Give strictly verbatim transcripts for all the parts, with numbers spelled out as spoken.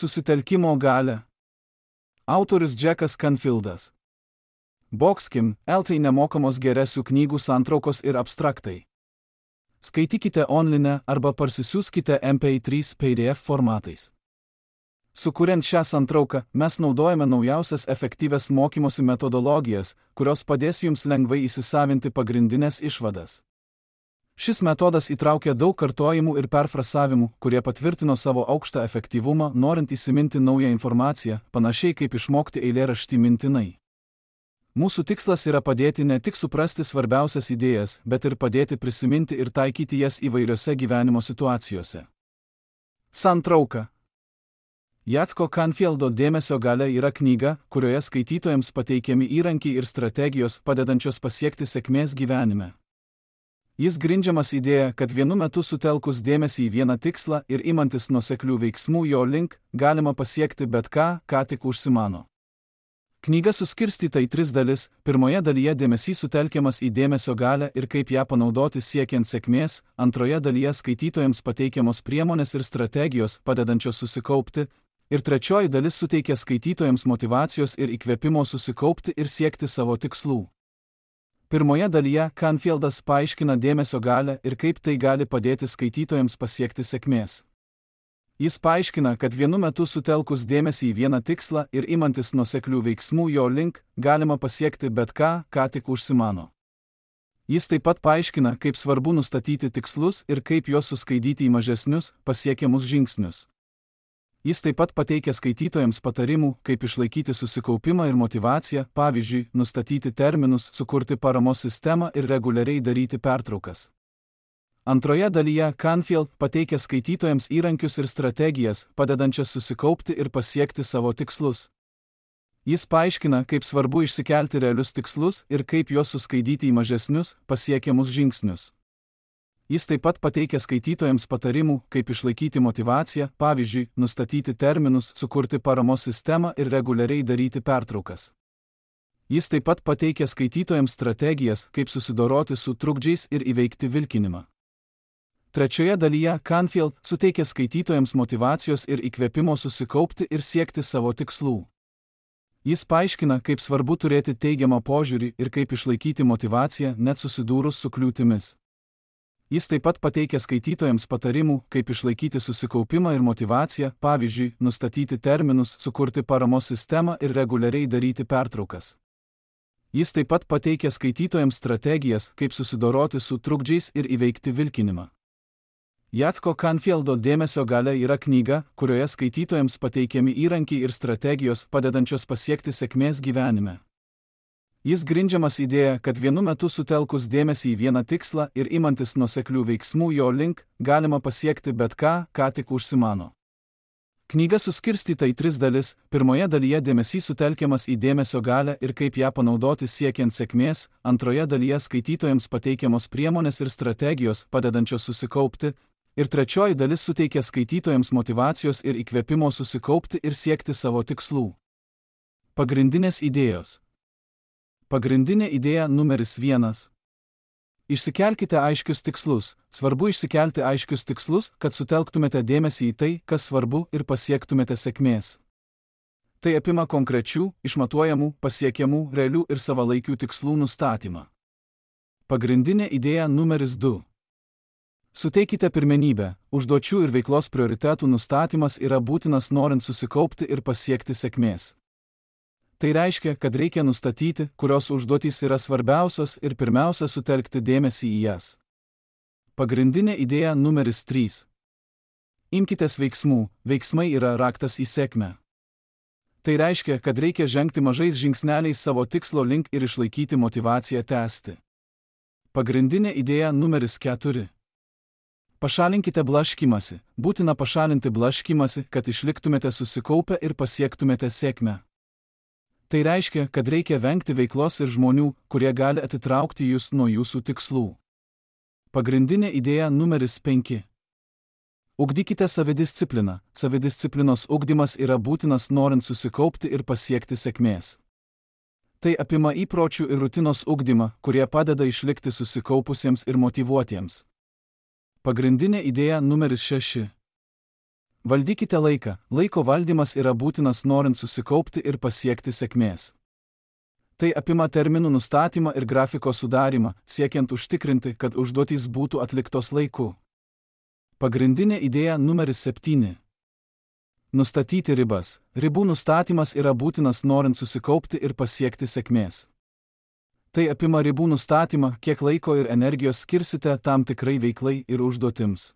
Susitelkimo galia. Autorius Jackas Canfieldas. Boxkim, L T nemokamos geresių knygų santraukos ir abstraktai. Skaitykite online arba parsisiųskite M P trys P D F formatais. Sukuriant šią santrauką, mes naudojame naujausias efektyvias mokymosi metodologijas, kurios padės jums lengvai įsisavinti pagrindinės išvadas. Šis metodas įtraukia daug kartojimų ir perfrasavimų, kurie patvirtino savo aukštą efektyvumą, norint įsiminti naują informaciją, panašiai kaip išmokti eilėraštį mintinai. Mūsų tikslas yra padėti ne tik suprasti svarbiausias idėjas, bet ir padėti prisiminti ir taikyti jas įvairiose gyvenimo situacijose. Santrauka. Jacko Canfieldo Dėmesio galia yra knyga, kurioje skaitytojams pateikiami įrankiai ir strategijos padedančios pasiekti sėkmės gyvenime. Jis grindžiamas idėja, kad vienu metu sutelkus dėmesį į vieną tikslą ir imantis nuoseklių veiksmų jo link, galima pasiekti bet ką, ką tik užsimano. Knyga suskirstyta į tris dalis. Pirmoje dalyje dėmesys sutelkiamas į dėmesio galią ir kaip ją panaudoti siekiant sėkmės, antroje dalyje skaitytojams pateikiamos priemonės ir strategijos padedančios susikaupti, ir trečioji dalis suteikia skaitytojams motyvacijos ir įkvėpimo susikaupti ir siekti savo tikslų. Pirmoje dalyje Canfieldas paaiškina dėmesio galią ir kaip tai gali padėti skaitytojams pasiekti sėkmės. Jis paaiškina, kad vienu metu sutelkus dėmesį į vieną tikslą ir imantis nuoseklių veiksmų jo link, galima pasiekti bet ką, ką tik užsimano. Jis taip pat paaiškina, kaip svarbu nustatyti tikslus ir kaip juos suskaidyti į mažesnius, pasiekiamus žingsnius. Jis taip pat pateikia skaitytojams patarimų, kaip išlaikyti susikaupimą ir motyvaciją, pavyzdžiui, nustatyti terminus, sukurti paramos sistemą ir reguliariai daryti pertraukas. Antroje dalyje Canfield pateikia skaitytojams įrankius ir strategijas, padedančias susikaupti ir pasiekti savo tikslus. Jis paaiškina, kaip svarbu išsikelti realius tikslus ir kaip juos suskaidyti į mažesnius, pasiekiamus žingsnius. Jis taip pat pateikia skaitytojams patarimų, kaip išlaikyti motyvaciją, pavyzdžiui, nustatyti terminus, sukurti paramos sistemą ir reguliariai daryti pertraukas. Jis taip pat pateikia skaitytojams strategijas, kaip susidoroti su trukdžiais ir įveikti vilkinimą. Trečioje dalyje Canfield suteikia skaitytojams motyvacijos ir įkvėpimo susikaupti ir siekti savo tikslų. Jis paaiškina, kaip svarbu turėti teigiamą požiūrį ir kaip išlaikyti motyvaciją net susidūrus su kliūtimis. Jis taip pat pateikia skaitytojams patarimų, kaip išlaikyti susikaupimą ir motyvaciją, pavyzdžiui, nustatyti terminus, sukurti paramos sistemą ir reguliariai daryti pertraukas. Jis taip pat pateikia skaitytojams strategijas, kaip susidoroti su trukdžiais ir įveikti vilkinimą. Jacko Canfieldo Dėmesio galia yra knyga, kurioje skaitytojams pateikiami įrankiai ir strategijos padedančios pasiekti sėkmės gyvenime. Jis grindžiamas idėja, kad vienu metu sutelkus dėmesį į vieną tikslą ir imantis nuoseklių veiksmų jo link, galima pasiekti bet ką, ką tik užsimano. Knyga suskirstyta į tris dalis. Pirmoje dalyje dėmesys sutelkiamas į dėmesio galią ir kaip ją panaudoti siekiant sėkmės, antroje dalyje skaitytojams pateikiamos priemonės ir strategijos padedančios susikaupti, ir trečioji dalis suteikia skaitytojams motyvacijos ir įkvėpimo susikaupti ir siekti savo tikslų. Pagrindinės idėjos. Pagrindinė idėja numeris vienas. Išsikelkite aiškius tikslus. Svarbu išsikelti aiškius tikslus, kad sutelktumėte dėmesį į tai, kas svarbu, ir pasiektumėte sėkmės. Tai apima konkrečių, išmatuojamų, pasiekiamų, realių ir savalaikių tikslų nustatymą. Pagrindinė idėja numeris du. Suteikite pirmenybę. Užduočių ir veiklos prioritetų nustatymas yra būtinas norint susikaupti ir pasiekti sėkmės. Tai reiškia, kad reikia nustatyti, kurios užduotys yra svarbiausios ir pirmiausia sutelkti dėmesį į jas. Pagrindinė idėja numeris trys. Imkitės veiksmų. Veiksmai yra raktas į sėkmę. Tai reiškia, kad reikia žengti mažais žingsneliais savo tikslo link ir išlaikyti motyvaciją tęsti. Pagrindinė idėja numeris keturi. Pašalinkite blaškymąsi. Būtina pašalinti blaškymąsi, kad išliktumėte susikaupę ir pasiektumėte sėkmę. Tai reiškia, kad reikia vengti veiklos ir žmonių, kurie gali atitraukti jūs nuo jūsų tikslų. Pagrindinė idėja numeris penki. Ugdykite savidiscipliną. Savidisciplinos ugdymas yra būtinas norint susikaupti ir pasiekti sėkmės. Tai apima įpročių ir rutinos ugdymą, kurie padeda išlikti susikaupusiems ir motyvuotiems. Pagrindinė idėja numeris šeši. Valdykite laiką. Laiko valdymas yra būtinas norint susikaupti ir pasiekti sėkmės. Tai apima terminų nustatymą ir grafiko sudarimą, siekiant užtikrinti, kad užduotys būtų atliktos laiku. Pagrindinė idėja numeris septyni. Nustatyti ribas. Ribų nustatymas yra būtinas norint susikaupti ir pasiekti sėkmės. Tai apima ribų nustatymą, kiek laiko ir energijos skirsite tam tikrai veiklai ir užduotims.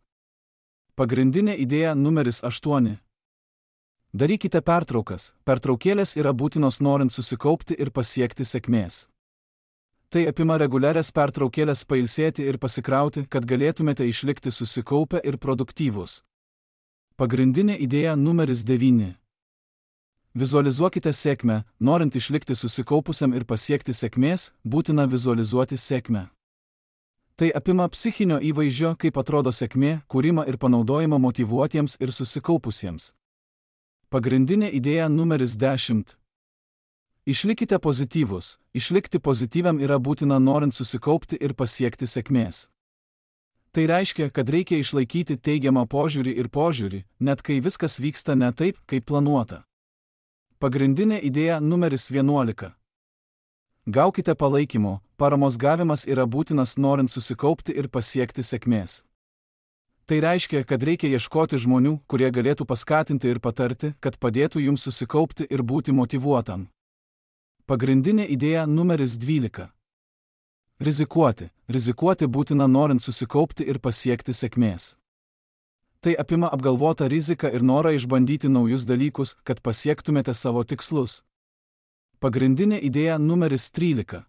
Pagrindinė idėja numeris aštuoni. Darykite pertraukas. Pertraukėlės yra būtinos norint susikaupti ir pasiekti sėkmės. Tai apima reguliarias pertraukėlės pailsėti ir pasikrauti, kad galėtumėte išlikti susikaupę ir produktyvūs. Pagrindinė idėja numeris devyni. Vizualizuokite sėkmę. Norint išlikti susikaupusiam ir pasiekti sėkmės, būtina vizualizuoti sėkmę. Tai apima psichinio įvaizdžio, kaip atrodo sėkmė, kūrimą ir panaudojimą motyvuotiems ir susikaupusiems. Pagrindinė idėja numeris dešimt. Išlikite pozityvus. Išlikti pozityviam yra būtina norint susikaupti ir pasiekti sėkmės. Tai reiškia, kad reikia išlaikyti teigiamą požiūrį ir požiūrį, net kai viskas vyksta ne taip, kaip planuota. Pagrindinė idėja numeris vienuolika. Gaukite palaikymo. Paramos gavimas yra būtinas norint susikaupti ir pasiekti sėkmės. Tai reiškia, kad reikia ieškoti žmonių, kurie galėtų paskatinti ir patarti, kad padėtų jums susikaupti ir būti motyvuotam. Pagrindinė idėja numeris dvylika. Rizikuoti. Rizikuoti būtina norint susikaupti ir pasiekti sėkmės. Tai apima apgalvotą riziką ir norą išbandyti naujus dalykus, kad pasiektumėte savo tikslus. Pagrindinė idėja numeris trylika.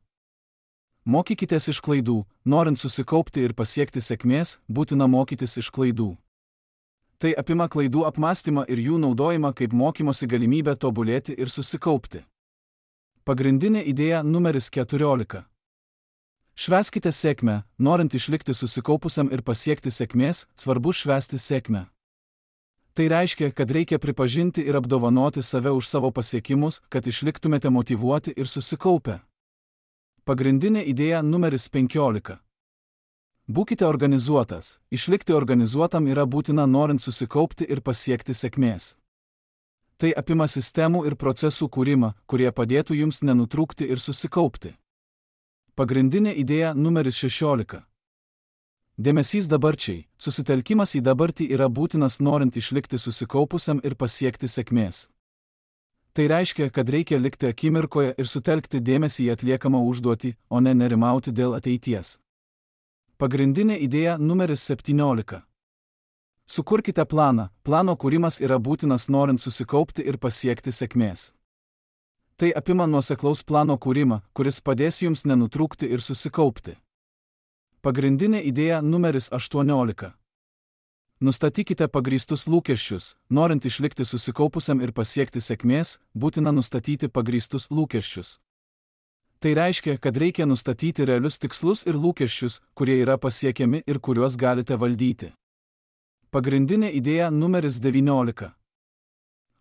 Mokykitės iš klaidų. Norint susikaupti ir pasiekti sėkmės, būtina mokytis iš klaidų. Tai apima klaidų apmąstymą ir jų naudojimą kaip mokymosi galimybę tobulėti ir susikaupti. Pagrindinė idėja numeris keturiolika. Švęskite sėkmę. Norint išlikti susikaupusiam ir pasiekti sėkmės, svarbu švęsti sėkmę. Tai reiškia, kad reikia pripažinti ir apdovanoti save už savo pasiekimus, kad išliktumėte motyvuoti ir susikaupę. Pagrindinė idėja numeris penkiolika. Būkite organizuotas. Išlikti organizuotam yra būtina norint susikaupti ir pasiekti sėkmės. Tai apima sistemų ir procesų kūrimą, kurie padėtų jums nenutrūkti ir susikaupti. Pagrindinė idėja numeris šešiolika. Dėmesys dabarčiai. Susitelkimas į dabartį yra būtinas norint išlikti susikaupusiam ir pasiekti sėkmės. Tai reiškia, kad reikia likti akimirkoje ir sutelkti dėmesį į atliekamą užduotį, o ne nerimauti dėl ateities. Pagrindinė idėja numeris septyniolika. Sukurkite planą. Plano kūrimas yra būtinas norint susikaupti ir pasiekti sėkmės. Tai apima nuoseklaus plano kūrimą, kuris padės jums nenutrūkti ir susikaupti. Pagrindinė idėja numeris aštuoniolika. Nustatykite pagrįstus lūkesčius. Norint išlikti susikaupusiam ir pasiekti sėkmės, būtina nustatyti pagrįstus lūkesčius. Tai reiškia, kad reikia nustatyti realius tikslus ir lūkesčius, kurie yra pasiekiami ir kuriuos galite valdyti. Pagrindinė idėja numeris devyniolika.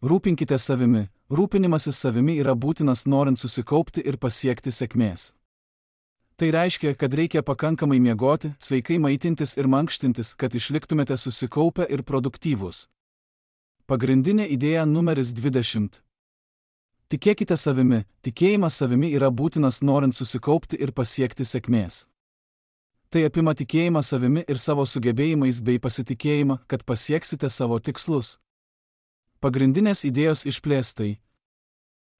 Rūpinkite savimi. Rūpinimasis savimi yra būtinas norint susikaupti ir pasiekti sėkmės. Tai reiškia, kad reikia pakankamai miegoti, sveikai maitintis ir mankštintis, kad išliktumėte susikaupę ir produktyvūs. Pagrindinė idėja numeris dvidešimt. Tikėkite savimi. Tikėjimas savimi yra būtinas norint susikaupti ir pasiekti sėkmės. Tai apima tikėjimą savimi ir savo sugebėjimais bei pasitikėjimą, kad pasieksite savo tikslus. Pagrindinės idėjos išplėstai.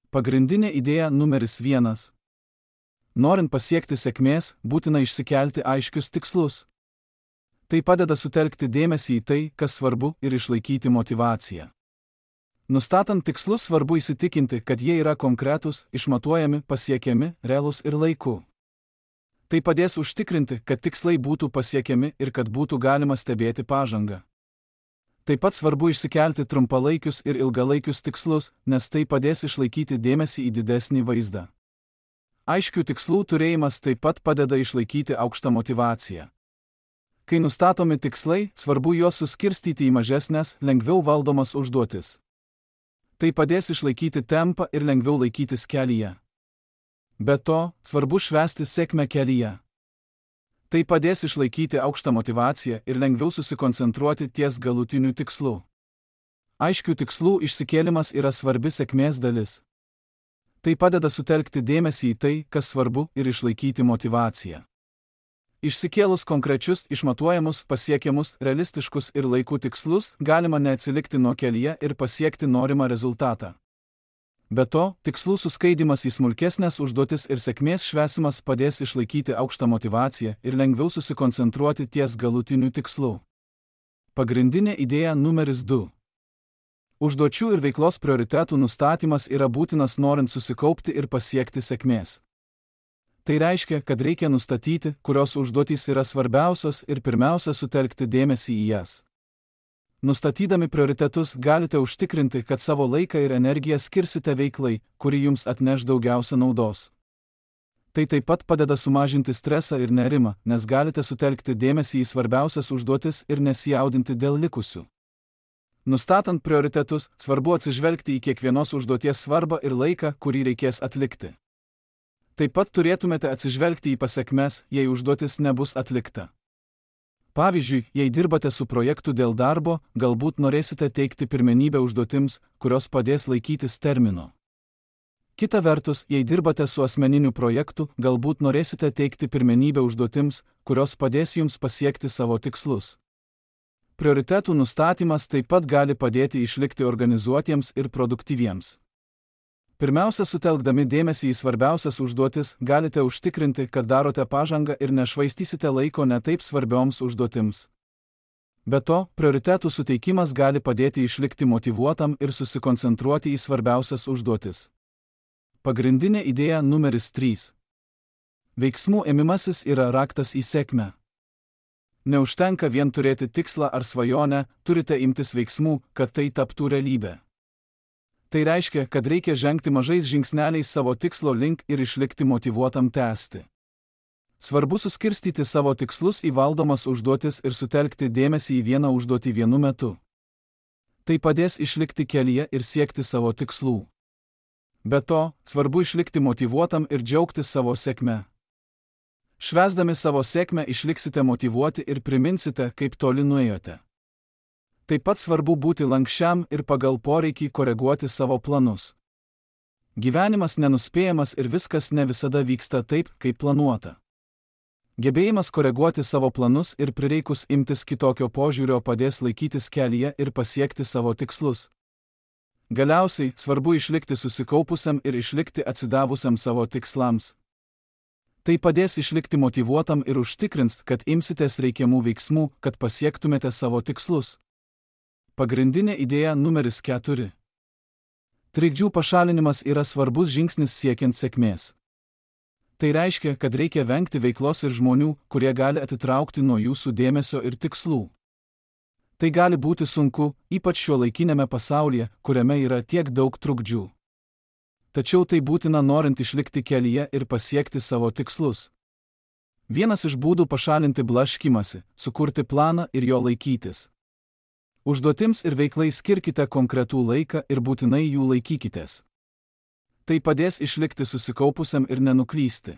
Pagrindinė idėja numeris vienas. Norint pasiekti sėkmės, būtina išsikelti aiškius tikslus. Tai padeda sutelkti dėmesį į tai, kas svarbu, ir išlaikyti motyvaciją. Nustatant tikslus svarbu įsitikinti, kad jie yra konkretūs, išmatuojami, pasiekiami, realūs ir laiku. Tai padės užtikrinti, kad tikslai būtų pasiekiami ir kad būtų galima stebėti pažangą. Taip pat svarbu išsikelti trumpalaikius ir ilgalaikius tikslus, nes tai padės išlaikyti dėmesį į didesnį vaizdą. Aiškių tikslų turėjimas taip pat padeda išlaikyti aukštą motyvaciją. Kai nustatomi tikslai, svarbu juos suskirstyti į mažesnes, lengviau valdomas užduotis. Tai padės išlaikyti tempą ir lengviau laikytis kelyje. Be to, svarbu švęsti sėkmę kelyje. Tai padės išlaikyti aukštą motyvaciją ir lengviau susikoncentruoti ties galutiniu tikslu. Aiškių tikslų išsikėlimas yra svarbi sėkmės dalis. Tai padeda sutelkti dėmesį į tai, kas svarbu, ir išlaikyti motyvaciją. Išsikėlus konkrečius, išmatuojamus, pasiekiamus, realistiškus ir laikų tikslus, galima neatsilikti nuo kelyje ir pasiekti norimą rezultatą. Be to, tikslų suskaidimas į smulkesnės užduotis ir sėkmės švęsimas padės išlaikyti aukštą motyvaciją ir lengviau susikoncentruoti ties galutiniu tikslu. Pagrindinė idėja numeris du. Užduočių ir veiklos prioritetų nustatymas yra būtinas norint susikaupti ir pasiekti sėkmės. Tai reiškia, kad reikia nustatyti, kurios užduotys yra svarbiausios ir pirmiausia sutelkti dėmesį į jas. Nustatydami prioritetus galite užtikrinti, kad savo laiką ir energiją skirsite veiklai, kuri jums atneš daugiausia naudos. Tai taip pat padeda sumažinti stresą ir nerimą, nes galite sutelkti dėmesį į svarbiausias užduotis ir nesijaudinti dėl likusių. Nustatant prioritetus, svarbu atsižvelgti į kiekvienos užduoties svarbą ir laiką, kurį reikės atlikti. Taip pat turėtumėte atsižvelgti į pasekmes, jei užduotis nebus atlikta. Pavyzdžiui, jei dirbate su projektu dėl darbo, galbūt norėsite teikti pirmenybę užduotims, kurios padės laikytis termino. Kita vertus, jei dirbate su asmeniniu projektu, galbūt norėsite teikti pirmenybę užduotims, kurios padės jums pasiekti savo tikslus. Prioritetų nustatymas taip pat gali padėti išlikti organizuotiems ir produktyviems. Pirmiausia, sutelkdami dėmesį į svarbiausias užduotis, galite užtikrinti, kad darote pažangą ir nešvaistysite laiko netaip svarbioms užduotims. Be to, prioritetų suteikimas gali padėti išlikti motyvuotam ir susikoncentruoti į svarbiausias užduotis. Pagrindinė idėja numeris trys. Veiksmų ėmimasis yra raktas į sėkmę. Neužtenka vien turėti tikslą ar svajonę, turite imtis veiksmų, kad tai taptų realybė. Tai reiškia, kad reikia žengti mažais žingsneliais savo tikslo link ir išlikti motyvuotam tęsti. Svarbu suskirstyti savo tikslus į valdomas užduotis ir sutelkti dėmesį į vieną užduotį vienu metu. Tai padės išlikti kelyje ir siekti savo tikslų. Be to, svarbu išlikti motyvuotam ir džiaugtis savo sėkme. Švęsdami savo sėkmę išliksite motyvuoti ir priminsite, kaip toli nuėjote. Taip pat svarbu būti lankščiam ir pagal poreikį koreguoti savo planus. Gyvenimas nenuspėjamas ir viskas ne visada vyksta taip, kaip planuota. Gebėjimas koreguoti savo planus ir prireikus imtis kitokio požiūrio padės laikytis kelyje ir pasiekti savo tikslus. Galiausiai, svarbu išlikti susikaupusiam ir išlikti atsidavusiam savo tikslams. Tai padės išlikti motyvuotam ir užtikrins, kad imsitės reikiamų veiksmų, kad pasiektumėte savo tikslus. Pagrindinė idėja numeris keturi. Trikdžių pašalinimas yra svarbus žingsnis siekiant sėkmės. Tai reiškia, kad reikia vengti veiklos ir žmonių, kurie gali atitraukti nuo jūsų dėmesio ir tikslų. Tai gali būti sunku, ypač šiuolaikinėme pasaulyje, kuriame yra tiek daug trukdžių. Tačiau tai būtina norint išlikti kelyje ir pasiekti savo tikslus. Vienas iš būdų pašalinti blaškymąsi – sukurti planą ir jo laikytis. Užduotims ir veiklai skirkite konkretų laiką ir būtinai jų laikykitės. Tai padės išlikti susikaupusiam ir nenuklysti.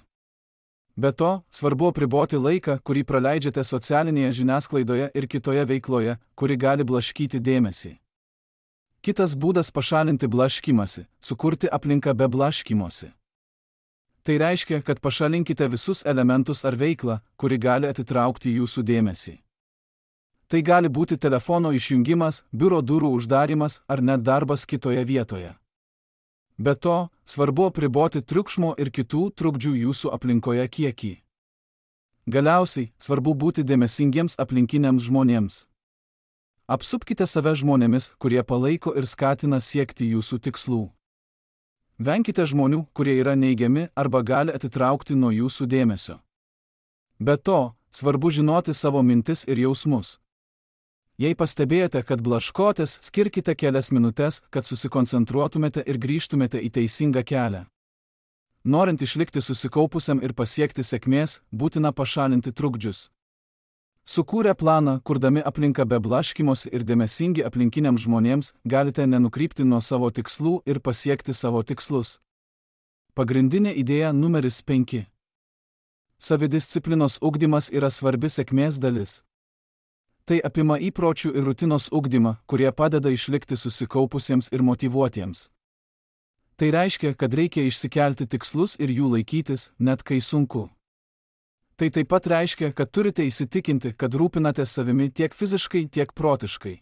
Be to, svarbu apriboti laiką, kurį praleidžiate socialinėje žiniasklaidoje ir kitoje veikloje, kuri gali blaškyti dėmesį. Kitas būdas pašalinti blaškymąsi – sukurti aplinką be blaškymosi. Tai reiškia, kad pašalinkite visus elementus ar veiklą, kuri gali atitraukti jūsų dėmesį. Tai gali būti telefono išjungimas, biuro durų uždarimas ar net darbas kitoje vietoje. Be to, svarbu apriboti triukšmo ir kitų trukdžių jūsų aplinkoje kiekį. Galiausiai, svarbu būti dėmesingiems aplinkiniams žmonėms. Apsupkite save žmonėmis, kurie palaiko ir skatina siekti jūsų tikslų. Venkite žmonių, kurie yra neigiami arba gali atitraukti nuo jūsų dėmesio. Be to, svarbu žinoti savo mintis ir jausmus. Jei pastebėjote, kad blaškotės, skirkite kelias minutes, kad susikoncentruotumėte ir grįžtumėte į teisingą kelią. Norint išlikti susikaupusiam ir pasiekti sėkmės, būtina pašalinti trukdžius. Sukūrę planą, kurdami aplinką be blaškymosi ir dėmesingi aplinkiniams žmonėms, galite nenukrypti nuo savo tikslų ir pasiekti savo tikslus. Pagrindinė idėja numeris penki. Savidisciplinos ugdymas yra svarbi sėkmės dalis. Tai apima įpročių ir rutinos ugdymą, kurie padeda išlikti susikaupusiems ir motyvuotiems. Tai reiškia, kad reikia išsikelti tikslus ir jų laikytis, net kai sunku. Tai taip pat reiškia, kad turite įsitikinti, kad rūpinatės savimi tiek fiziškai, tiek protiškai.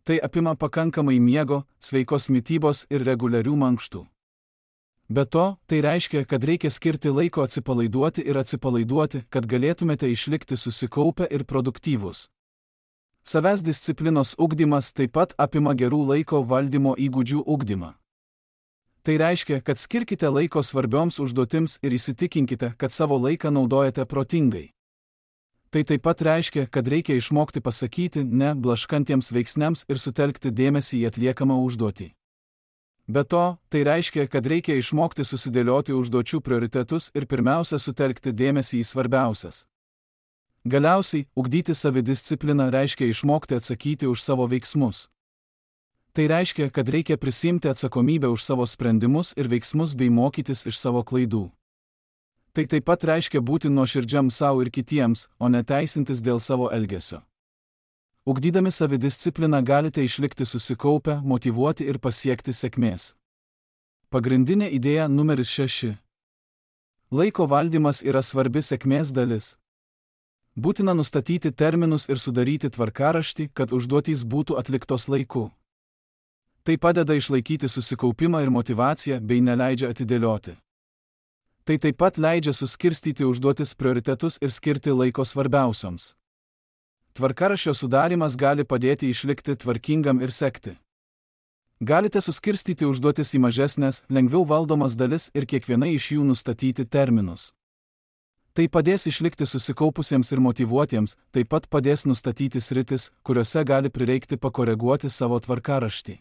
Tai apima pakankamai miego, sveikos mitybos ir reguliarių mankštų. Be to, tai reiškia, kad reikia skirti laiko atsipalaiduoti ir atsipalaiduoti, kad galėtumėte išlikti susikaupę ir produktyvūs. Savęs disciplinos ugdymas taip pat apima gerų laiko valdymo įgūdžių ugdymą. Tai reiškia, kad skirkite laiko svarbioms užduotims ir įsitikinkite, kad savo laiką naudojate protingai. Tai taip pat reiškia, kad reikia išmokti pasakyti ne blaškantiems veiksniams ir sutelkti dėmesį į atliekamą užduotį. Be to, tai reiškia, kad reikia išmokti susidėlioti užduočių prioritetus ir pirmiausia sutelkti dėmesį į svarbiausias. Galiausiai, ugdyti savidiscipliną reiškia išmokti atsakyti už savo veiksmus. Tai reiškia, kad reikia prisiimti atsakomybę už savo sprendimus ir veiksmus bei mokytis iš savo klaidų. Tai taip pat reiškia būti nuoširdžiam savo ir kitiems, o ne teisintis dėl savo elgesio. Ugdydami savidiscipliną galite išlikti susikaupę, motyvuoti ir pasiekti sėkmės. Pagrindinė idėja numeris šeši. Laiko valdymas yra svarbi sėkmės dalis. Būtina nustatyti terminus ir sudaryti tvarkaraštį, kad užduotys būtų atliktos laiku. Tai padeda išlaikyti susikaupimą ir motyvaciją bei neleidžia atidėlioti. Tai taip pat leidžia suskirstyti užduotis prioritetus ir skirti laiko svarbiausioms. Tvarkaraščio sudarimas gali padėti išlikti tvarkingam ir sekti. Galite suskirstyti užduotis į mažesnės, lengviau valdomas dalis ir kiekvienai iš jų nustatyti terminus. Tai padės išlikti susikaupusiems ir motyvuotiems, taip pat padės nustatyti sritis, kuriuose gali prireikti pakoreguoti savo tvarkaraštį.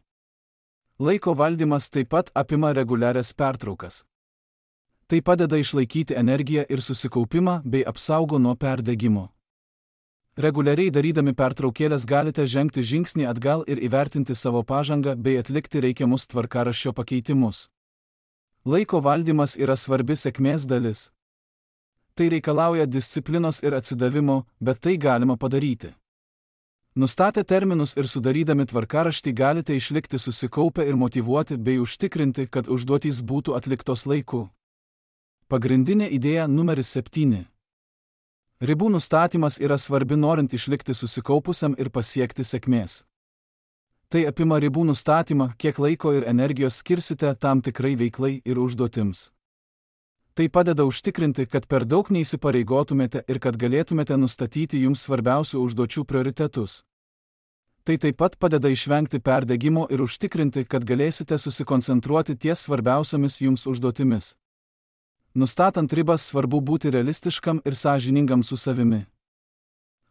Laiko valdymas taip pat apima reguliarias pertraukas. Tai padeda išlaikyti energiją ir susikaupimą bei apsaugo nuo perdegimo. Reguliariai darydami pertraukėlės galite žengti žingsnį atgal ir įvertinti savo pažangą bei atlikti reikiamus tvarkaraščio pakeitimus. Laiko valdymas yra svarbi sėkmės dalis. Tai reikalauja disciplinos ir atsidavimo, bet tai galima padaryti. Nustatę terminus ir sudarydami tvarkaraštį galite išlikti susikaupę ir motyvuoti bei užtikrinti, kad užduotys būtų atliktos laiku. Pagrindinė idėja numeris septyni. Ribų nustatymas yra svarbi norint išlikti susikaupusiam ir pasiekti sėkmės. Tai apima ribų nustatymą, kiek laiko ir energijos skirsite tam tikrai veiklai ir užduotims. Tai padeda užtikrinti, kad per daug neįsipareigotumėte ir kad galėtumėte nustatyti jums svarbiausių užduočių prioritetus. Tai taip pat padeda išvengti perdegimo ir užtikrinti, kad galėsite susikoncentruoti ties svarbiausiamis jums užduotimis. Nustatant ribas svarbu būti realistiškam ir sąžiningam su savimi.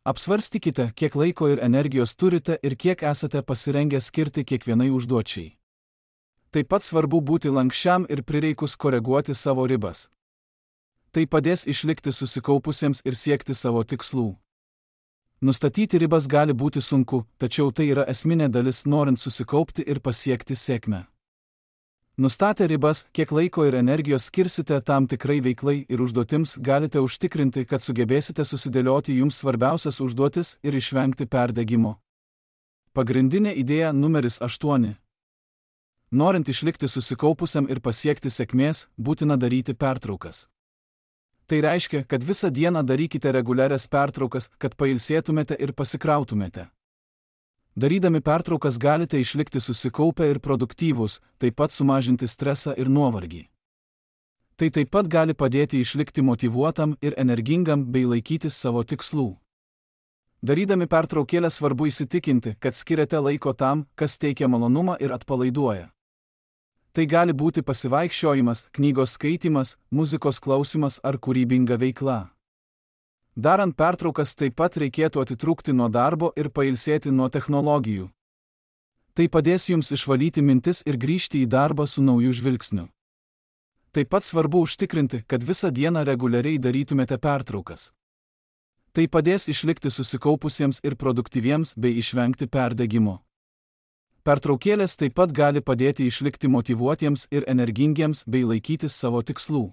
Apsvarstykite, kiek laiko ir energijos turite ir kiek esate pasirengę skirti kiekvienai užduočiai. Taip pat svarbu būti lankščiam ir prireikus koreguoti savo ribas. Tai padės išlikti susikaupusiems ir siekti savo tikslų. Nustatyti ribas gali būti sunku, tačiau tai yra esminė dalis norint susikaupti ir pasiekti sėkmę. Nustatę ribas, kiek laiko ir energijos skirsite tam tikrai veiklai ir užduotims, galite užtikrinti, kad sugebėsite susidėlioti jums svarbiausias užduotis ir išvengti perdegimo. Pagrindinė idėja numeris aštuoni. Norint išlikti susikaupusiam ir pasiekti sėkmės, būtina daryti pertraukas. Tai reiškia, kad visą dieną darykite reguliarias pertraukas, kad pailsėtumėte ir pasikrautumėte. Darydami pertraukas galite išlikti susikaupę ir produktyvūs, taip pat sumažinti stresą ir nuovargį. Tai taip pat gali padėti išlikti motyvuotam ir energingam bei laikytis savo tikslų. Darydami pertraukėlę svarbu įsitikinti, kad skiriate laiko tam, kas teikia malonumą ir atpalaiduoja. Tai gali būti pasivaikščiojimas, knygos skaitymas, muzikos klausimas ar kūrybinga veikla. Darant pertraukas taip pat reikėtų atitrūkti nuo darbo ir pailsėti nuo technologijų. Tai padės jums išvalyti mintis ir grįžti į darbą su nauju žvilgsniu. Taip pat svarbu užtikrinti, kad visą dieną reguliariai darytumėte pertraukas. Tai padės išlikti susikaupusiems ir produktyviems bei išvengti perdegimo. Pertraukėlės taip pat gali padėti išlikti motyvuotiems ir energingiems bei laikytis savo tikslų.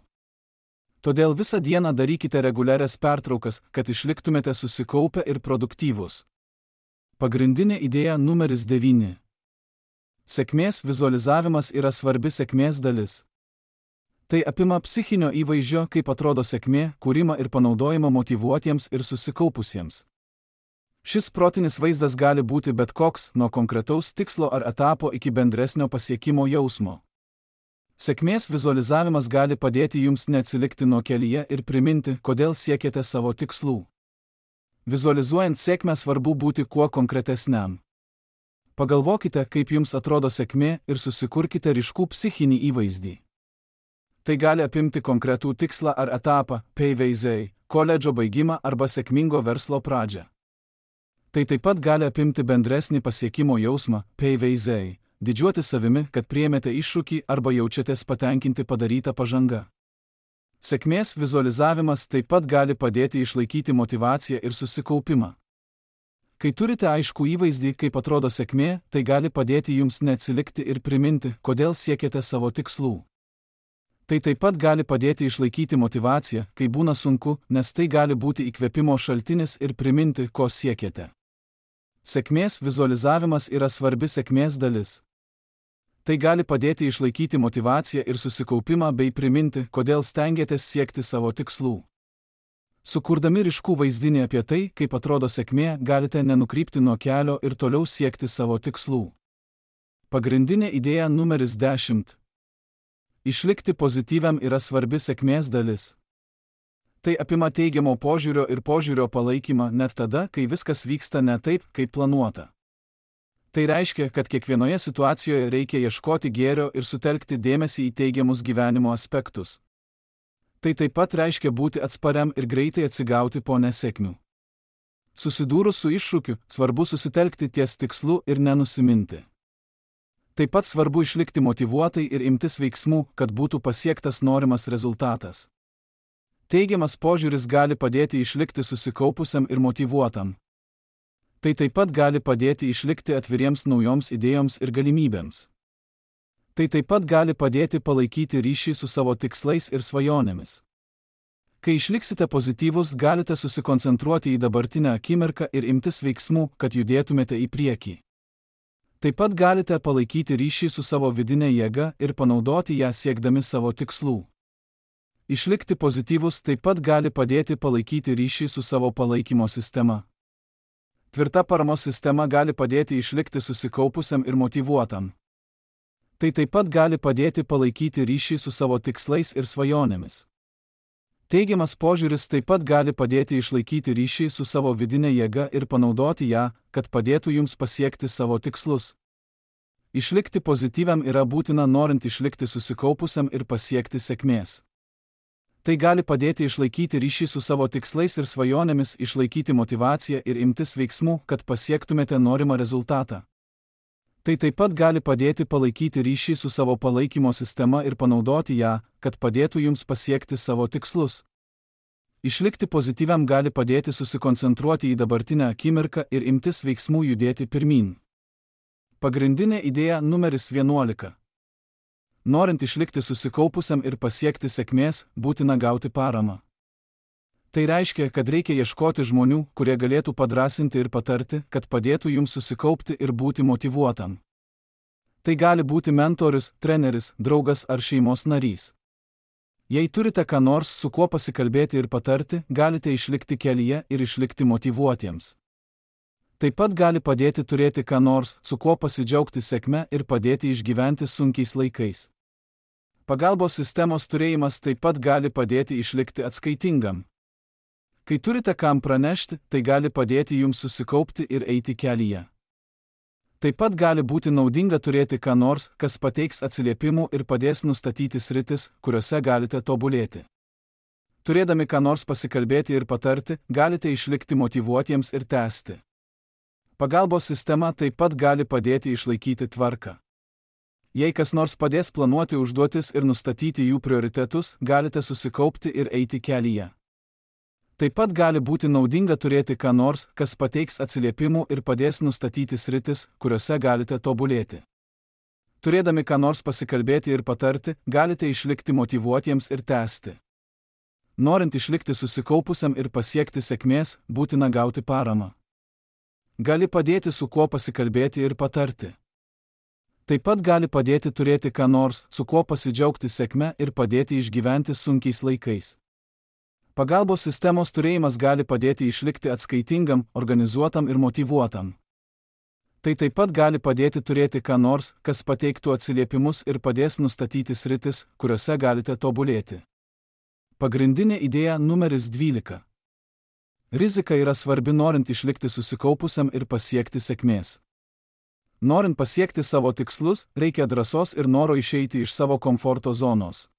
Todėl visą dieną darykite reguliarias pertraukas, kad išliktumėte susikaupę ir produktyvūs. Pagrindinė idėja numeris devyni. Sėkmės vizualizavimas yra svarbi sėkmės dalis. Tai apima psichinio įvaizdžio, kaip atrodo sėkmė, kūrimą ir panaudojimą motyvuotiems ir susikaupusiems. Šis protinis vaizdas gali būti bet koks, nuo konkretaus tikslo ar etapo iki bendresnio pasiekimo jausmo. Sėkmės vizualizavimas gali padėti jums neatsilikti nuo kelyje ir priminti, kodėl siekiate savo tikslų. Vizualizuojant sėkmę svarbu būti kuo konkretesniam. Pagalvokite, kaip jums atrodo sėkmė ir susikurkite ryškų psichinį įvaizdį. Tai gali apimti konkretų tikslą ar etapą, pavyzdžiui, koledžo baigimą arba sėkmingo verslo pradžią. Tai taip pat gali apimti bendresnį pasiekimo jausmą, pavyzdžiui, didžiuotis savimi, kad priėmėte iššūkį arba jaučiatės patenkinti padarytą pažangą. Sėkmės vizualizavimas taip pat gali padėti išlaikyti motyvaciją ir susikaupimą. Kai turite aiškų įvaizdį, kaip atrodo sėkmė, tai gali padėti jums neatsilikti ir priminti, kodėl siekiate savo tikslų. Tai taip pat gali padėti išlaikyti motyvaciją, kai būna sunku, nes tai gali būti įkvėpimo šaltinis ir priminti, ko siekiate. Sėkmės vizualizavimas yra svarbi sėkmės dalis. Tai gali padėti išlaikyti motyvaciją ir susikaupimą bei priminti, kodėl stengiatės siekti savo tikslų. Sukurdami ryškų vaizdinį apie tai, kaip atrodo sėkmė, galite nenukrypti nuo kelio ir toliau siekti savo tikslų. Pagrindinė idėja numeris dešimt. Išlikti pozityviam yra svarbi sėkmės dalis. Tai apima teigiamo požiūrio ir požiūrio palaikymą net tada, kai viskas vyksta ne taip, kaip planuota. Tai reiškia, kad kiekvienoje situacijoje reikia ieškoti gėrio ir sutelkti dėmesį į teigiamus gyvenimo aspektus. Tai taip pat reiškia būti atspariam ir greitai atsigauti po nesėkmių. Susidūrus su iššūkiu, svarbu susitelkti ties tikslu ir nenusiminti. Taip pat svarbu išlikti motyvuotai ir imtis veiksmų, kad būtų pasiektas norimas rezultatas. Teigiamas požiūris gali padėti išlikti susikaupusiam ir motyvuotam. Tai taip pat gali padėti išlikti atviriems naujoms idėjoms ir galimybėms. Tai taip pat gali padėti palaikyti ryšį su savo tikslais ir svajonėmis. Kai išliksite pozityvus, galite susikoncentruoti į dabartinę akimirką ir imtis veiksmų, kad judėtumėte į priekį. Taip pat galite palaikyti ryšį su savo vidinė jėga ir panaudoti ją siekdami savo tikslų. Išlikti pozityvus taip pat gali padėti palaikyti ryšį su savo palaikymo sistema. Tvirta paramos sistema gali padėti išlikti susikaupusiam ir motyvuotam. Tai taip pat gali padėti palaikyti ryšį su savo tikslais ir svajonėmis. Teigiamas požiūris taip pat gali padėti išlaikyti ryšį su savo vidinė jėga ir panaudoti ją, kad padėtų jums pasiekti savo tikslus. Išlikti pozityviam yra būtina norint išlikti susikaupusiam ir pasiekti sėkmės. Tai gali padėti išlaikyti ryšį su savo tikslais ir svajonėmis, išlaikyti motyvaciją ir imtis veiksmų, kad pasiektumėte norimą rezultatą. Tai taip pat gali padėti palaikyti ryšį su savo palaikymo sistema ir panaudoti ją, kad padėtų jums pasiekti savo tikslus. Išlikti pozityviam gali padėti susikoncentruoti į dabartinę akimirką ir imtis veiksmų judėti pirmyn. Pagrindinė idėja numeris vienuolika. Norint išlikti susikaupusiam ir pasiekti sėkmės, būtina gauti paramą. Tai reiškia, kad reikia ieškoti žmonių, kurie galėtų padrasinti ir patarti, kad padėtų jums susikaupti ir būti motyvuotam. Tai gali būti mentorius, treneris, draugas ar šeimos narys. Jei turite ką nors, su kuo pasikalbėti ir patarti, galite išlikti kelyje ir išlikti motyvuotiems. Taip pat gali padėti turėti ką nors, su kuo pasidžiaugti sėkme ir padėti išgyventi sunkiais laikais. Pagalbos sistemos turėjimas taip pat gali padėti išlikti atskaitingam. Kai turite kam pranešti, tai gali padėti jums susikaupti ir eiti kelyje. Taip pat gali būti naudinga turėti ką nors, kas pateiks atsiliepimų ir padės nustatyti sritis, kuriuose galite tobulėti. Turėdami ką nors pasikalbėti ir patarti, galite išlikti motyvuotiems ir tęsti. Pagalbos sistema taip pat gali padėti išlaikyti tvarką. Jei kas nors padės planuoti užduotis ir nustatyti jų prioritetus, galite susikaupti ir eiti kelyje. Taip pat gali būti naudinga turėti ką nors, kas pateiks atsiliepimų ir padės nustatyti sritis, kuriuose galite tobulėti. Turėdami ką nors pasikalbėti ir patarti, galite išlikti motyvuotiems ir tęsti. Norint išlikti susikaupusiam ir pasiekti sėkmės, būtina gauti paramą. Gali padėti su kuo pasikalbėti ir patarti. Taip pat gali padėti turėti ką nors, su kuo pasidžiaugti sėkme ir padėti išgyventi sunkiais laikais. Pagalbos sistemos turėjimas gali padėti išlikti atskaitingam, organizuotam ir motyvuotam. Tai taip pat gali padėti turėti ką nors, kas pateiktų atsiliepimus ir padės nustatyti sritis, kuriuose galite tobulėti. Pagrindinė idėja numeris dvylika. Rizika yra svarbi norint išlikti susikaupusiam ir pasiekti sėkmės. Norint pasiekti savo tikslus, reikia drąsos ir noro išeiti iš savo komforto zonos.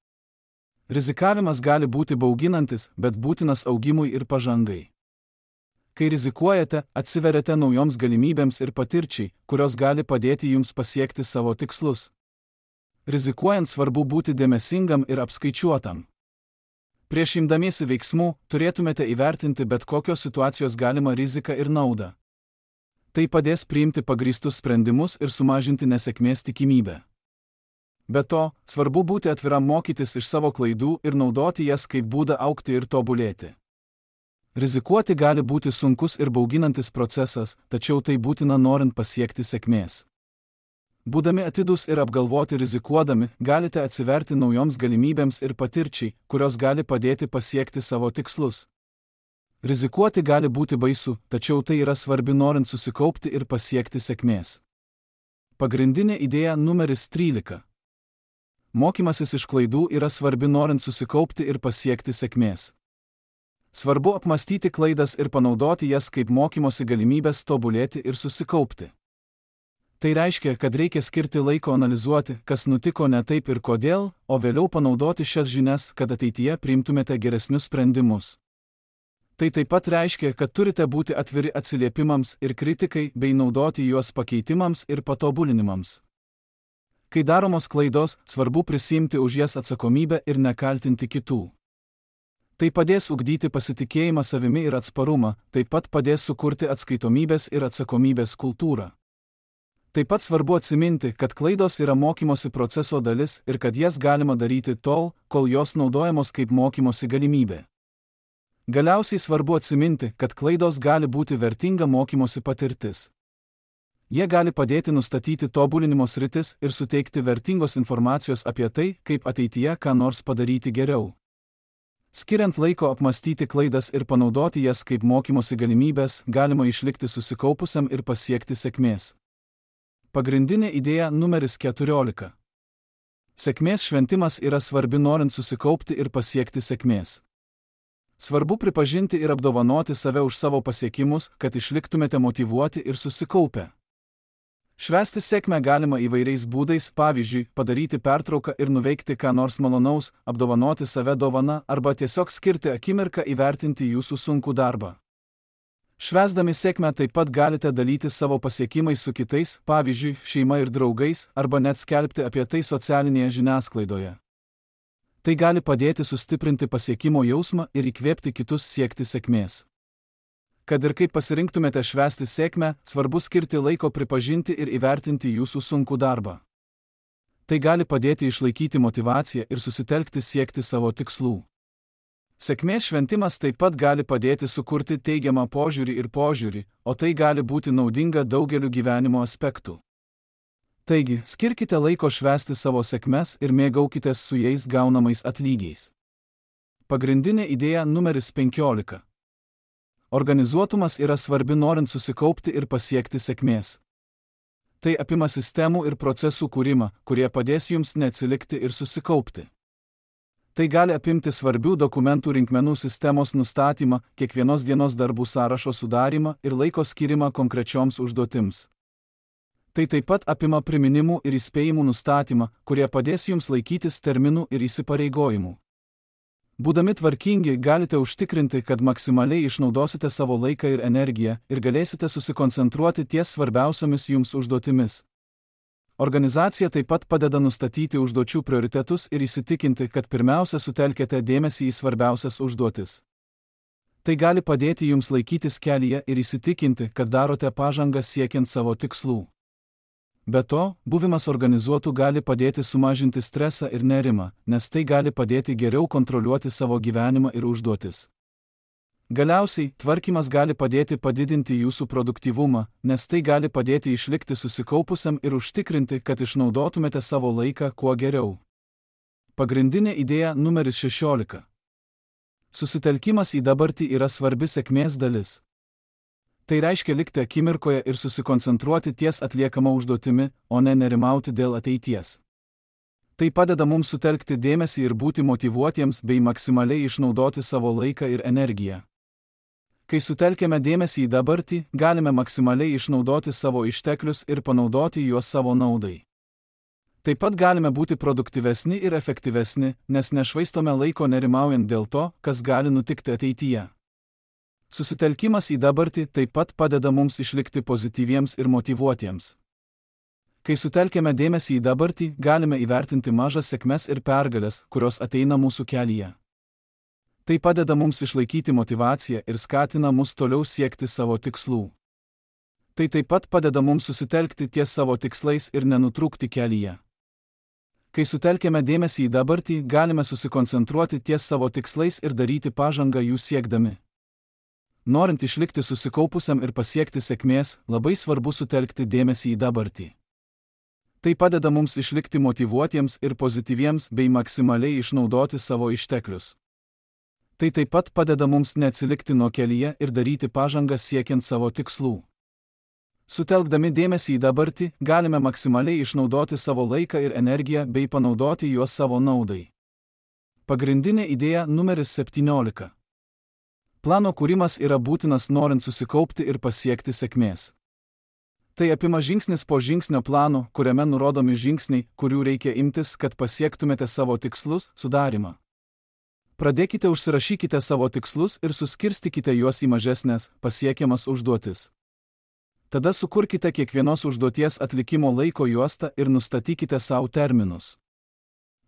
Rizikavimas gali būti bauginantis, bet būtinas augimui ir pažangai. Kai rizikuojate, atsiveriate naujoms galimybėms ir patirčiai, kurios gali padėti jums pasiekti savo tikslus. Rizikuojant svarbu būti dėmesingam ir apskaičiuotam. Prieš imdamiesi veiksmų, turėtumėte įvertinti bet kokios situacijos galimą riziką ir naudą. Tai padės priimti pagrįstus sprendimus ir sumažinti nesėkmės tikimybę. Be to, svarbu būti atviram mokytis iš savo klaidų ir naudoti jas kaip būdą augti ir tobulėti. Rizikuoti gali būti sunkus ir bauginantis procesas, tačiau tai būtina norint pasiekti sėkmės. Būdami atidūs ir apgalvoti rizikuodami, galite atsiverti naujoms galimybėms ir patirčiai, kurios gali padėti pasiekti savo tikslus. Rizikuoti gali būti baisu, tačiau tai yra svarbi norint susikaupti ir pasiekti sėkmės. Pagrindinė idėja numeris trylika. Mokymasis iš klaidų yra svarbi norint susikaupti ir pasiekti sėkmės. Svarbu apmastyti klaidas ir panaudoti jas kaip mokymosi galimybės tobulėti ir susikaupti. Tai reiškia, kad reikia skirti laiko analizuoti, kas nutiko ne taip ir kodėl, o vėliau panaudoti šias žinias, kad ateityje priimtumėte geresnius sprendimus. Tai taip pat reiškia, kad turite būti atviri atsiliepimams ir kritikai bei naudoti juos pakeitimams ir patobulinimams. Kai daromos klaidos, svarbu prisiimti už jas atsakomybę ir nekaltinti kitų. Tai padės ugdyti pasitikėjimą savimi ir atsparumą, taip pat padės sukurti atskaitomybės ir atsakomybės kultūrą. Taip pat svarbu atsiminti, kad klaidos yra mokymosi proceso dalis ir kad jas galima daryti tol, kol jos naudojamos kaip mokymosi galimybė. Galiausiai svarbu atsiminti, kad klaidos gali būti vertinga mokymosi patirtis. Jie gali padėti nustatyti tobulinimo sritis ir suteikti vertingos informacijos apie tai, kaip ateityje ką nors padaryti geriau. Skiriant laiko apmastyti klaidas ir panaudoti jas kaip mokymosi galimybės, galima išlikti susikaupusiam ir pasiekti sėkmės. Pagrindinė idėja numeris keturiolika. Sėkmės šventimas yra svarbi norint susikaupti ir pasiekti sėkmės. Svarbu pripažinti ir apdovanoti save už savo pasiekimus, kad išliktumėte motyvuoti ir susikaupę. Švęsti sėkmę galima įvairiais būdais, pavyzdžiui, padaryti pertrauką ir nuveikti ką nors malonaus, apdovanoti save dovana arba tiesiog skirti akimirką įvertinti jūsų sunkų darbą. Švęsdami sėkmę taip pat galite dalytis savo pasiekimais su kitais, pavyzdžiui, šeima ir draugais, arba net skelbti apie tai socialinėje žiniasklaidoje. Tai gali padėti sustiprinti pasiekimo jausmą ir įkvėpti kitus siekti sėkmės. Kad ir kaip pasirinktumėte švęsti sėkmę, svarbu skirti laiko pripažinti ir įvertinti jūsų sunkų darbą. Tai gali padėti išlaikyti motyvaciją ir susitelkti siekti savo tikslų. Sėkmės šventimas taip pat gali padėti sukurti teigiamą požiūrį ir požiūrį, o tai gali būti naudinga daugeliu gyvenimo aspektų. Taigi, skirkite laiko švęsti savo sėkmes ir mėgaukitės su jais gaunamais atlygiais. Pagrindinė idėja numeris penkiolika. Organizuotumas yra svarbi norint susikaupti ir pasiekti sėkmės. Tai apima sistemų ir procesų kūrimą, kurie padės jums neatsilikti ir susikaupti. Tai gali apimti svarbių dokumentų rinkmenų sistemos nustatymą, kiekvienos dienos darbų sąrašo sudarymą ir laiko skirimą konkrečioms užduotims. Tai taip pat apima priminimų ir įspėjimų nustatymą, kurie padės jums laikytis terminų ir įsipareigojimų. Būdami tvarkingi, galite užtikrinti, kad maksimaliai išnaudosite savo laiką ir energiją ir galėsite susikoncentruoti ties svarbiausiomis jums užduotimis. Organizacija taip pat padeda nustatyti užduočių prioritetus ir įsitikinti, kad pirmiausia sutelkėte dėmesį į svarbiausias užduotis. Tai gali padėti jums laikytis kelyje ir įsitikinti, kad darote pažangą siekiant savo tikslų. Be to, buvimas organizuotu gali padėti sumažinti stresą ir nerimą, nes tai gali padėti geriau kontroliuoti savo gyvenimą ir užduotis. Galiausiai, tvarkymas gali padėti padidinti jūsų produktyvumą, nes tai gali padėti išlikti susikaupusiam ir užtikrinti, kad išnaudotumėte savo laiką kuo geriau. Pagrindinė idėja numeris šešiolika. Susitelkimas į dabartį yra svarbi sėkmės dalis. Tai reiškia likti akimirkoje ir susikoncentruoti ties atliekama užduotimi, o ne nerimauti dėl ateities. Tai padeda mums sutelkti dėmesį ir būti motyvuotiems bei maksimaliai išnaudoti savo laiką ir energiją. Kai sutelkiame dėmesį į dabartį, galime maksimaliai išnaudoti savo išteklius ir panaudoti juos savo naudai. Taip pat galime būti produktyvesni ir efektyvesni, nes nešvaistome laiko nerimaujant dėl to, kas gali nutikti ateityje. Susitelkimas į dabartį taip pat padeda mums išlikti pozityviems ir motyvuotiems. Kai sutelkiame dėmesį į dabartį, galime įvertinti mažas sėkmes ir pergales, kurios ateina mūsų kelyje. Tai padeda mums išlaikyti motyvaciją ir skatina mus toliau siekti savo tikslų. Tai taip pat padeda mums susitelkti ties savo tikslais ir nenutrūkti kelyje. Kai sutelkiame dėmesį į dabartį, galime susikoncentruoti ties savo tikslais ir daryti pažangą jų siekdami. Norint išlikti susikaupusiam ir pasiekti sėkmės, labai svarbu sutelkti dėmesį į dabartį. Tai padeda mums išlikti motyvuotiems ir pozityviems bei maksimaliai išnaudoti savo išteklius. Tai taip pat padeda mums neatsilikti nuo kelyje ir daryti pažangą siekiant savo tikslų. Sutelkdami dėmesį į dabartį, galime maksimaliai išnaudoti savo laiką ir energiją bei panaudoti juos savo naudai. Pagrindinė idėja numeris septyniolika. Plano kūrimas yra būtinas norint susikaupti ir pasiekti sėkmės. Tai apima žingsnis po žingsnio plano, kuriame nurodomi žingsniai, kurių reikia imtis, kad pasiektumėte savo tikslus, sudarimą. Pradėkite užsirašykite savo tikslus ir suskirstykite juos į mažesnės, pasiekiamas užduotis. Tada sukurkite kiekvienos užduoties atlikimo laiko juostą ir nustatykite savo terminus.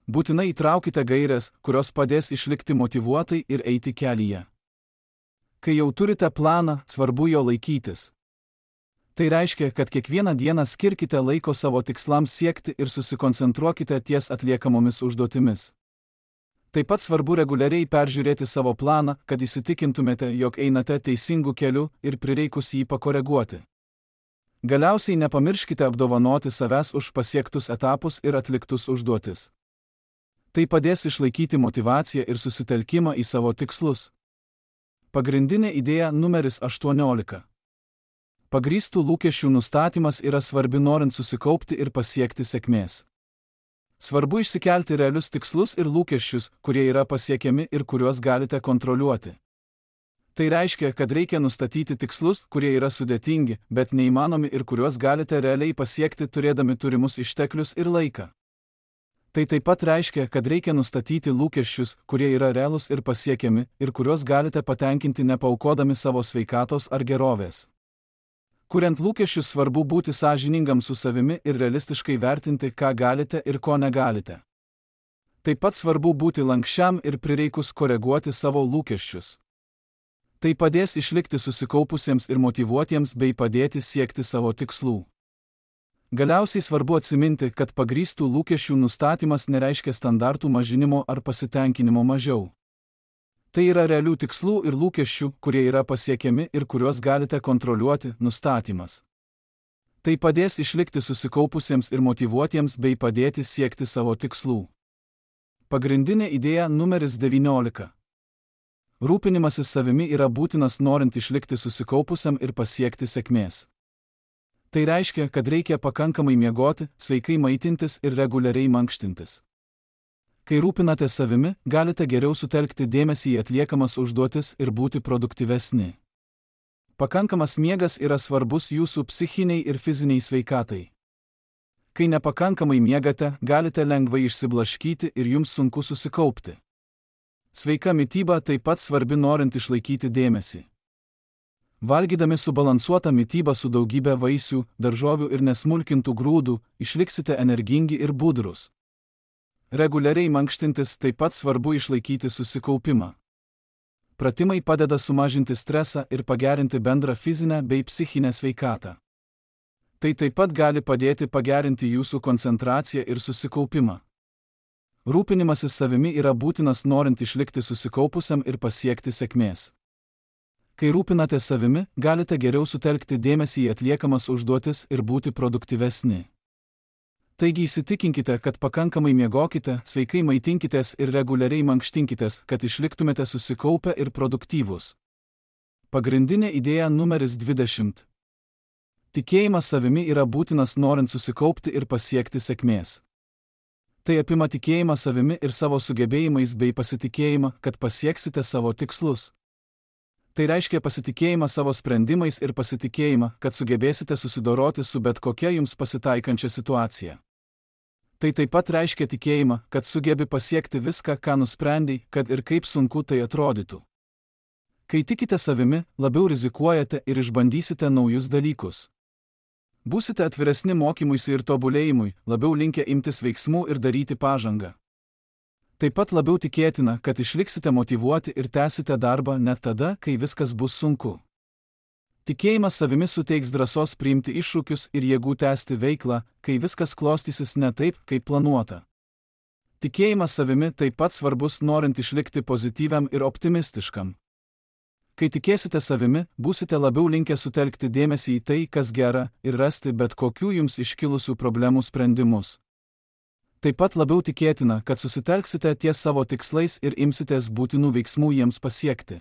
Būtinai įtraukite gaires, kurios padės išlikti motyvuotai ir eiti kelyje. Kai jau turite planą, svarbu jo laikytis. Tai reiškia, kad kiekvieną dieną skirkite laiko savo tikslams siekti ir susikoncentruokite ties atliekamomis užduotimis. Taip pat svarbu reguliariai peržiūrėti savo planą, kad įsitikintumėte, jog einate teisingu keliu ir prireikus jį pakoreguoti. Galiausiai nepamirškite apdovanoti savęs už pasiektus etapus ir atliktus užduotis. Tai padės išlaikyti motyvaciją ir susitelkimą į savo tikslus. Pagrindinė idėja numeris aštuoniolika. Pagrįstų lūkesčių nustatymas yra svarbi norint susikaupti ir pasiekti sėkmės. Svarbu išsikelti realius tikslus ir lūkesčius, kurie yra pasiekiami ir kuriuos galite kontroliuoti. Tai reiškia, kad reikia nustatyti tikslus, kurie yra sudėtingi, bet neįmanomi ir kuriuos galite realiai pasiekti turėdami turimus išteklius ir laiką. Tai taip pat reiškia, kad reikia nustatyti lūkesčius, kurie yra realūs ir pasiekiami ir kuriuos galite patenkinti nepaukodami savo sveikatos ar gerovės. Kuriant lūkesčius svarbu būti sąžiningam su savimi ir realistiškai vertinti, ką galite ir ko negalite. Taip pat svarbu būti lankščiam ir prireikus koreguoti savo lūkesčius. Tai padės išlikti susikaupusiems ir motyvuotiems bei padėti siekti savo tikslų. Galiausiai svarbu atsiminti, kad pagrįstų lūkesčių nustatymas nereiškia standartų mažinimo ar pasitenkinimo mažiau. Tai yra realių tikslų ir lūkesčių, kurie yra pasiekiami ir kuriuos galite kontroliuoti, nustatymas. Tai padės išlikti susikaupusiems ir motyvuotiems bei padėti siekti savo tikslų. Pagrindinė idėja numeris devyniolika. Rūpinimasis savimi yra būtinas norint išlikti susikaupusiam ir pasiekti sėkmės. Tai reiškia, kad reikia pakankamai miegoti, sveikai maitintis ir reguliariai mankštintis. Kai rūpinate savimi, galite geriau sutelkti dėmesį į atliekamas užduotis ir būti produktyvesni. Pakankamas miegas yra svarbus jūsų psichiniai ir fiziniai sveikatai. Kai nepakankamai miegate, galite lengvai išsiblaškyti ir jums sunku susikaupti. Sveika mityba taip pat svarbi norint išlaikyti dėmesį. Valgydami subalansuotą mitybą su daugybė vaisių, daržovių ir nesmulkintų grūdų, išliksite energingi ir budrūs. Reguliariai mankštintis taip pat svarbu išlaikyti susikaupimą. Pratimai padeda sumažinti stresą ir pagerinti bendrą fizinę bei psichinę sveikatą. Tai taip pat gali padėti pagerinti jūsų koncentraciją ir susikaupimą. Rūpinimasis savimi yra būtinas norint išlikti susikaupusiam ir pasiekti sėkmės. Kai rūpinate savimi, galite geriau sutelkti dėmesį į atliekamas užduotis ir būti produktyvesni. Taigi įsitikinkite, kad pakankamai miegokite, sveikai maitinkitės ir reguliariai mankštinkitės, kad išliktumėte susikaupę ir produktyvūs. Pagrindinė idėja numeris dvidešimt. Tikėjimas savimi yra būtinas norint susikaupti ir pasiekti sėkmės. Tai apima tikėjimą savimi ir savo sugebėjimais bei pasitikėjimą, kad pasieksite savo tikslus. Tai reiškia pasitikėjimą savo sprendimais ir pasitikėjimą, kad sugebėsite susidoroti su bet kokia jums pasitaikančia situacija. Tai taip pat reiškia tikėjimą, kad sugebi pasiekti viską, ką nusprendei, kad ir kaip sunku tai atrodytų. Kai tikite savimi, labiau rizikuojate ir išbandysite naujus dalykus. Būsite atviresni mokymuisi ir tobulėjimui, labiau linkę imtis veiksmų ir daryti pažangą. Taip pat labiau tikėtina, kad išliksite motyvuoti ir tęsite darbą net tada, kai viskas bus sunku. Tikėjimas savimi suteiks drąsos priimti iššūkius ir jėgų tęsti veiklą, kai viskas klostysis ne taip, kaip planuota. Tikėjimas savimi taip pat svarbus norint išlikti pozityviam ir optimistiškam. Kai tikėsite savimi, būsite labiau linkę sutelkti dėmesį į tai, kas gera, ir rasti bet kokių jums iškilusių problemų sprendimus. Taip pat labiau tikėtina, kad susitelksite ties savo tikslais ir imsitės būtinų veiksmų jiems pasiekti.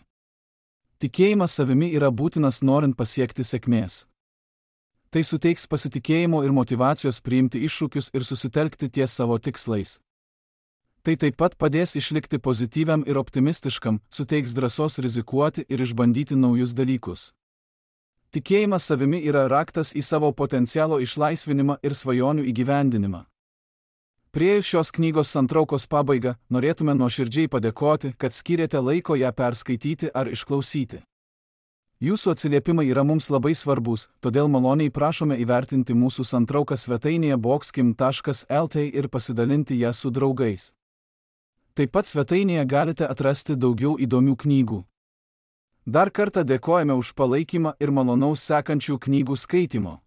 Tikėjimas savimi yra būtinas norint pasiekti sėkmės. Tai suteiks pasitikėjimo ir motyvacijos priimti iššūkius ir susitelkti ties savo tikslais. Tai taip pat padės išlikti pozityviam ir optimistiškam, suteiks drąsos rizikuoti ir išbandyti naujus dalykus. Tikėjimas savimi yra raktas į savo potencialo išlaisvinimą ir svajonių įgyvendinimą. Priėjus šios knygos santraukos pabaigą, norėtume nuoširdžiai padėkoti, kad skyrėte laiko ją perskaityti ar išklausyti. Jūsų atsiliepimai yra mums labai svarbus, todėl maloniai prašome įvertinti mūsų santrauką svetainėje boxkim taškas lt ir pasidalinti ją su draugais. Taip pat svetainėje galite atrasti daugiau įdomių knygų. Dar kartą dėkojame už palaikymą ir malonaus sekančių knygų skaitymo.